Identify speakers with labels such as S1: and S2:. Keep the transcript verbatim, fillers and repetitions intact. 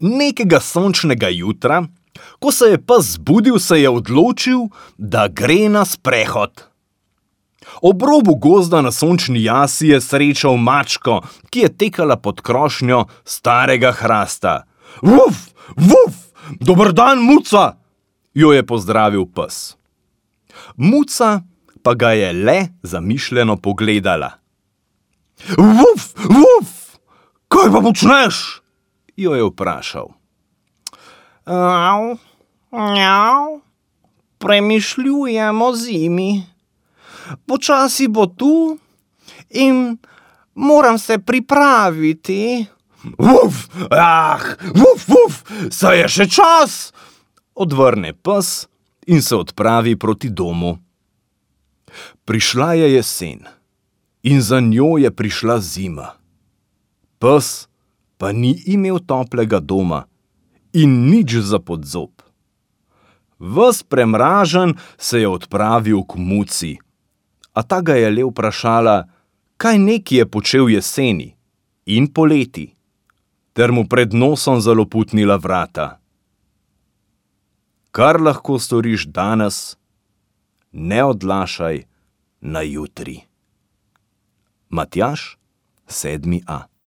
S1: Nekega sončnega jutra, ko se je pes zbudil, se je odločil, da gre na sprehod. Ob robu gozda na sončni jasi je srečal mačko, ki je tekala pod krošnjo starega hrasta. Vuf, vuf, dober dan, Muca, jo je pozdravil pes. Muca pa ga je le zamišljeno pogledala. Vuf, vuf, kaj pa počneš? Jo je vprašal.
S2: Au, njau, premišljujem o zimi. Počasi bo tu in moram se pripraviti.
S1: Vuf, ah, vuf, vuf, saj je še čas, odvrne pes in se odpravi proti domu. Prišla je jesen in za njo je prišla zima. Pes pa ni imel toplega doma in nič za podzob. Ves premražen se je odpravil k Muci, a ta ga je le vprašala, kaj neki je počel jeseni in poleti, ter mu pred nosom zaloputnila vrata. Kar lahko storiš danes, ne odlašaj na jutri. Matjaž, sedmi A.